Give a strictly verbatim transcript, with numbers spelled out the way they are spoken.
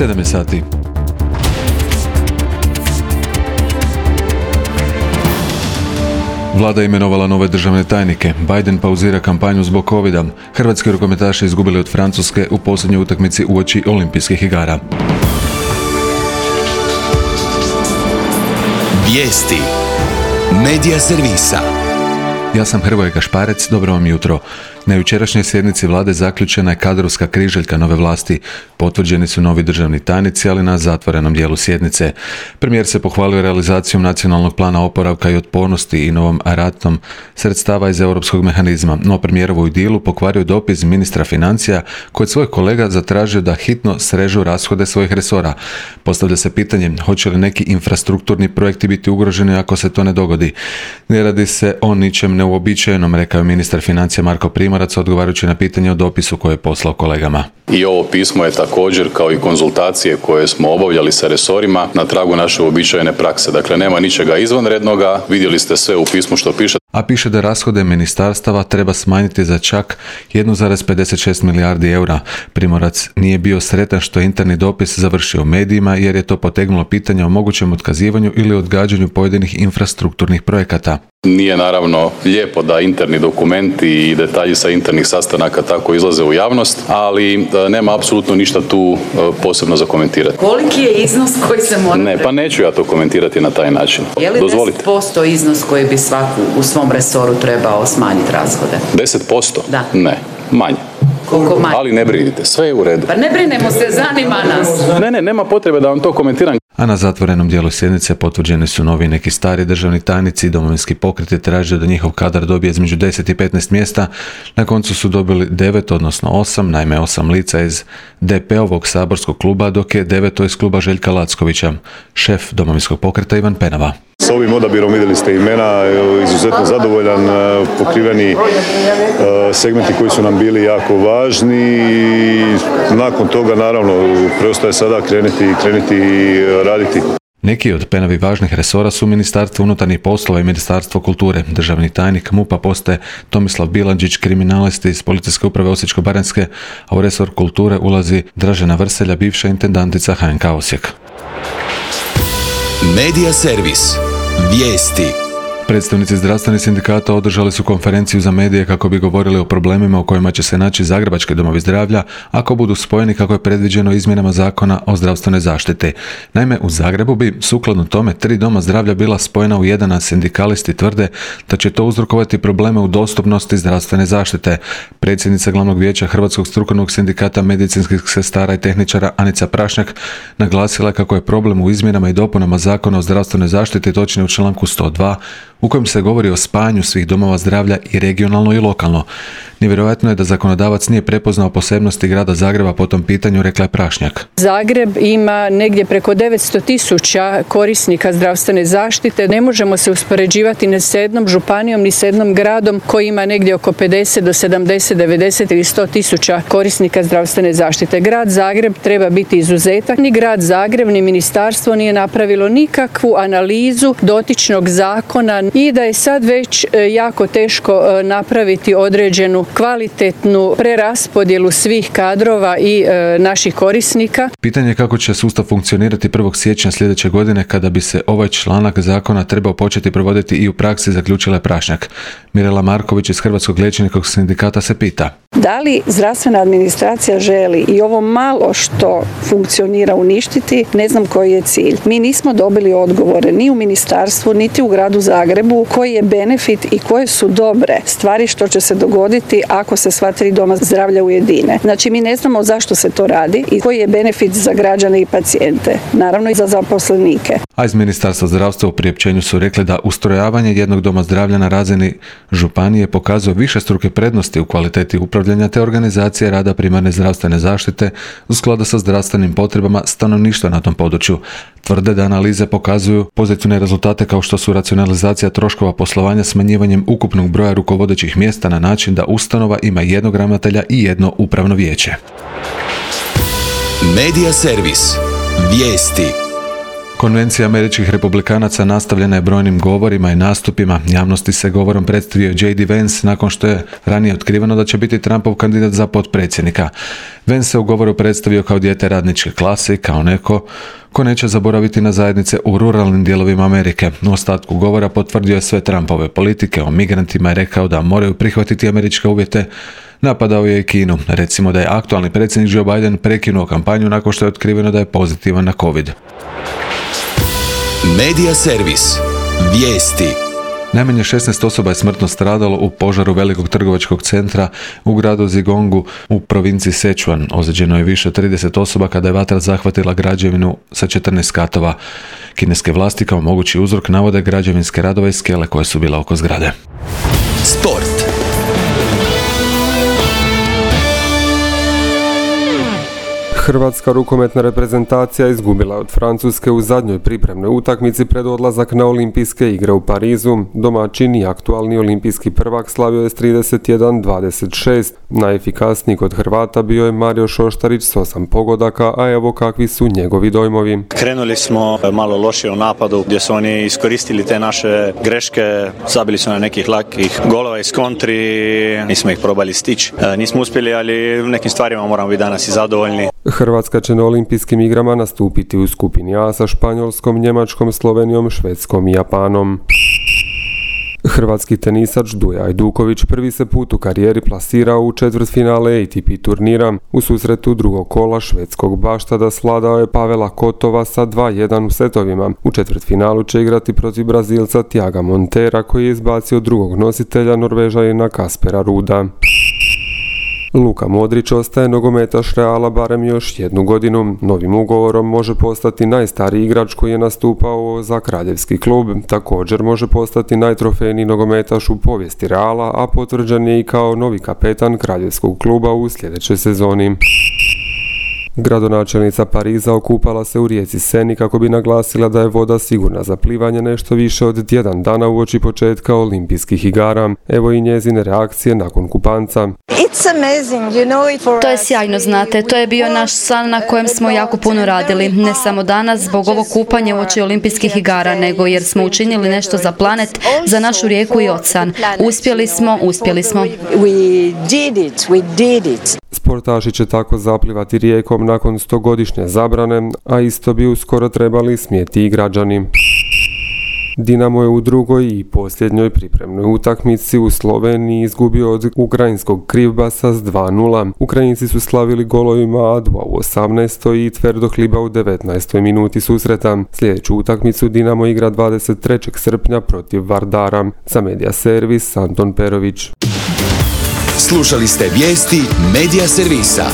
sedam je sati. Vlada je imenovala nove državne tajnike. Biden pauzira kampanju zbog covida. Hrvatski rukometaši izgubili od Francuske u posljednjoj utakmici uoči olimpijskih igara. Vijesti Medija servisa. Ja sam Hrvoje Gašparec, dobro vam jutro. Na jučerašnjoj sjednici vlade zaključena je kadrovska križaljka nove vlasti. Potvrđeni su novi državni tajnici, ali na zatvorenom dijelu sjednice. Premijer se pohvalio realizacijom nacionalnog plana oporavka i otpornosti i novom ratom sredstava iz europskog mehanizma, no premijerovu idilu pokvario dopis ministra financija koji od svojih kolega zatražio da hitno srežu rashode svojih resora. Postavlja se pitanje hoće li neki infrastrukturni projekti biti ugroženi ako se to ne dogodi. Ne radi se o ničem neuobičajenom, rekao je ministar financija Marko Primorac odgovarajući na pitanje o dopisu koje je poslao kolegama. I ovo pismo je također, kao i konzultacije koje smo obavljali sa resorima, na tragu naše uobičajene prakse. Dakle, nema ničega izvanrednoga, vidjeli ste sve u pismu što piše. A piše da rashode ministarstava treba smanjiti za čak jedan zarez pedeset šest milijardi eura. Primorac nije bio sretan što je interni dopis završio u medijima jer je to potegnulo pitanje o mogućem otkazivanju ili odgađanju pojedinih infrastrukturnih projekata. Nije naravno lijepo da interni dokumenti i detalji sa internih sastanaka tako izlaze u javnost, ali nema apsolutno ništa tu posebno za komentirati. Koliki je iznos koji se mora... Ne, pa neću ja to komentirati na taj način. Je li Dozvolite. deset posto iznos koji bi svaku u svom resoru trebao smanjiti rashode? deset posto? Da. Ne, manje. Koliko manje? Ali ne brinite, sve je u redu. Pa ne brinemo se, zanima nas. Ne, ne, nema potrebe da vam to komentiram. A na zatvorenom dijelu sjednice potvrđeni su novi neki stari državni tajnici. Domovinski pokret je tražio da njihov kadar dobije između deset i petnaest mjesta. Na koncu su dobili devet, odnosno osam, naime osam lica iz D P-ovog saborskog kluba, dok je deveto iz kluba Željka Lackovića. Šef Domovinskog pokreta Ivan Penava. S ovim odabirom vidjeli ste imena, izuzetno zadovoljan, pokriveni segmenti koji su nam bili jako važni i nakon toga naravno preostaje sada krenuti, krenuti raditi. Neki od Penavi važnih resora su Ministarstvo unutarnjih poslova i Ministarstvo kulture. Državni tajnik M U P-a postaje Tomislav Bilandžić, kriminalist iz Policijske uprave Osječko-baranjske, a u resor kulture ulazi Dražena Vrselja, bivša intendantica H N K Osijek. Medija servis. Vijesti. Predstavnici zdravstvenih sindikata održali su konferenciju za medije kako bi govorili o problemima u kojima će se naći zagrebački domovi zdravlja ako budu spojeni kako je predviđeno izmjenama zakona o zdravstvenoj zaštiti. Naime, u Zagrebu bi sukladno tome tri doma zdravlja bila spojena u jedan, a sindikalisti tvrde da će to uzrokovati probleme u dostupnosti zdravstvene zaštite. Predsjednica glavnog vijeća Hrvatskog strukovnog sindikata medicinskih sestara i tehničara Anica Prašnjak naglasila kako je problem u izmjenama i dopunama zakona o zdravstvenoj zaštiti, točnije u članku sto dva, u kojem se govori o spajanju svih domova zdravlja i regionalno i lokalno. Nevjerojatno je da zakonodavac nije prepoznao posebnosti grada Zagreba po tom pitanju, rekla je Prašnjak. Zagreb ima negdje preko devetsto tisuća korisnika zdravstvene zaštite. Ne možemo se uspoređivati ni s jednom županijom ni s jednom gradom koji ima negdje oko pedeset do sedamdeset, devedeset ili sto tisuća korisnika zdravstvene zaštite. Grad Zagreb treba biti izuzetak. Ni grad Zagreb ni ministarstvo nije napravilo nikakvu analizu dotičnog zakona i da je sad već jako teško napraviti određenu kvalitetnu preraspodjelu svih kadrova i e, naših korisnika. Pitanje je kako će sustav funkcionirati prvog siječnja sljedeće godine kada bi se ovaj članak zakona trebao početi provoditi i u praksi, zaključila je Prašnjak. Mirela Marković iz Hrvatskog liječničkog sindikata se pita. Da li zdravstvena administracija želi i ovo malo što funkcionira uništiti, ne znam koji je cilj. Mi nismo dobili odgovore ni u ministarstvu, niti u gradu Zagrebu koji je benefit i koje su dobre stvari što će se dogoditi ako se sva tri doma zdravlja ujedine. Znači mi ne znamo zašto se to radi i koji je benefit za građane i pacijente, naravno i za zaposlenike. A iz Ministarstva zdravstva u priopćenju su rekli da ustrojavanje jednog doma zdravlja na razini županije pokazuje višestruke prednosti u kvaliteti upravljanja te organizacije rada primarne zdravstvene zaštite u skladu sa zdravstvenim potrebama stanovništva na tom području. Tvrde da analize pokazuju pozitivne rezultate kao što su racionalizacija troškova poslovanja smanjivanjem ukupnog broja rukovodećih mjesta na način da ustanova ima jednog ravnatelja i jedno upravno vijeće. Medija servis. Vijesti. Konvencija američkih republikanaca nastavljena je brojnim govorima i nastupima. Javnosti se govorom predstavio J D Vance nakon što je ranije otkriveno da će biti Trumpov kandidat za potpredsjednika. Vance se u govoru predstavio kao dijete radničke klase i kao neko ko neće zaboraviti na zajednice u ruralnim dijelovima Amerike. U ostatku govora potvrdio je sve Trumpove politike o migrantima i rekao da moraju prihvatiti američke uvjete. Napadao je i Kinu. Recimo da je aktualni predsjednik Joe Biden prekinuo kampanju nakon što je otkriveno da je pozitivan na COVID. Medija servis. Vijesti. Najmanje šesnaest osoba je smrtno stradalo u požaru velikog trgovačkog centra u gradu Zigongu u provinciji Sichuan. Ozlijeđeno je više od trideset osoba kada je vatra zahvatila građevinu sa četrnaest katova. Kineske vlasti kao mogući uzrok navode građevinske radove i skele koje su bile oko zgrade. Sport. Hrvatska rukometna reprezentacija izgubila od Francuske u zadnjoj pripremnoj utakmici pred odlazak na olimpijske igre u Parizu. Domaćin i aktualni olimpijski prvak slavio je s trideset jedan dvadeset šest. Najefikasniji kod Hrvata bio je Mario Šoštarić s osam pogodaka, a evo kakvi su njegovi dojmovi. Krenuli smo malo lošije u napadu gdje su oni iskoristili te naše greške, zabili su na nekih lakih golova iz kontri, nismo ih probali stići. Nismo uspjeli, ali u nekim stvarima moramo biti danas i zadovoljni. Hrvatska će na olimpijskim igrama nastupiti u skupini A sa Španjolskom, Njemačkom, Slovenijom, Švedskom i Japanom. Hrvatski tenisač Duja Ajduković prvi se put u karijeri plasirao u četvrtfinale A T P turnira. U susretu drugog kola švedskog Baštada svladao je Pavela Kotova sa dva jedan u setovima. U četvrtfinalu će igrati protiv Brazilca Thiaga Montera koji je izbacio drugog nositelja Norvežanina Kaspera Ruda. Luka Modrić ostaje nogometaš Reala barem još jednu godinu. Novim ugovorom može postati najstariji igrač koji je nastupao za kraljevski klub. Također može postati najtrofejniji nogometaš u povijesti Reala, a potvrđen je i kao novi kapetan kraljevskog kluba u sljedećoj sezoni. Gradonačelnica Pariza okupala se u rijeci Seni kako bi naglasila da je voda sigurna za plivanje nešto više od tjedan dana uoči početka olimpijskih igara. Evo i njezine reakcije nakon kupanca. To je sjajno, znate, to je bio naš san na kojem smo jako puno radili, ne samo danas zbog ovog kupanja uoči olimpijskih igara, nego jer smo učinili nešto za planet, za našu rijeku i ocean. Uspjeli smo, uspjeli smo. Sportaši će tako zaplivati rijekom nakon stogodišnje zabrane, a isto bi uskoro trebali smjeti i građani. Dinamo je u drugoj i posljednjoj pripremnoj utakmici u Sloveniji izgubio od ukrajinskog Krivbasa s dva nula. Ukrajinci su slavili golovima Adua u osamnaestoj i Tverdohliba u devetnaestoj minuti susreta. Sljedeću utakmicu Dinamo igra dvadeset trećeg srpnja protiv Vardara. Za Medija servis Anton Perović. Slušali ste vijesti Medija servisa.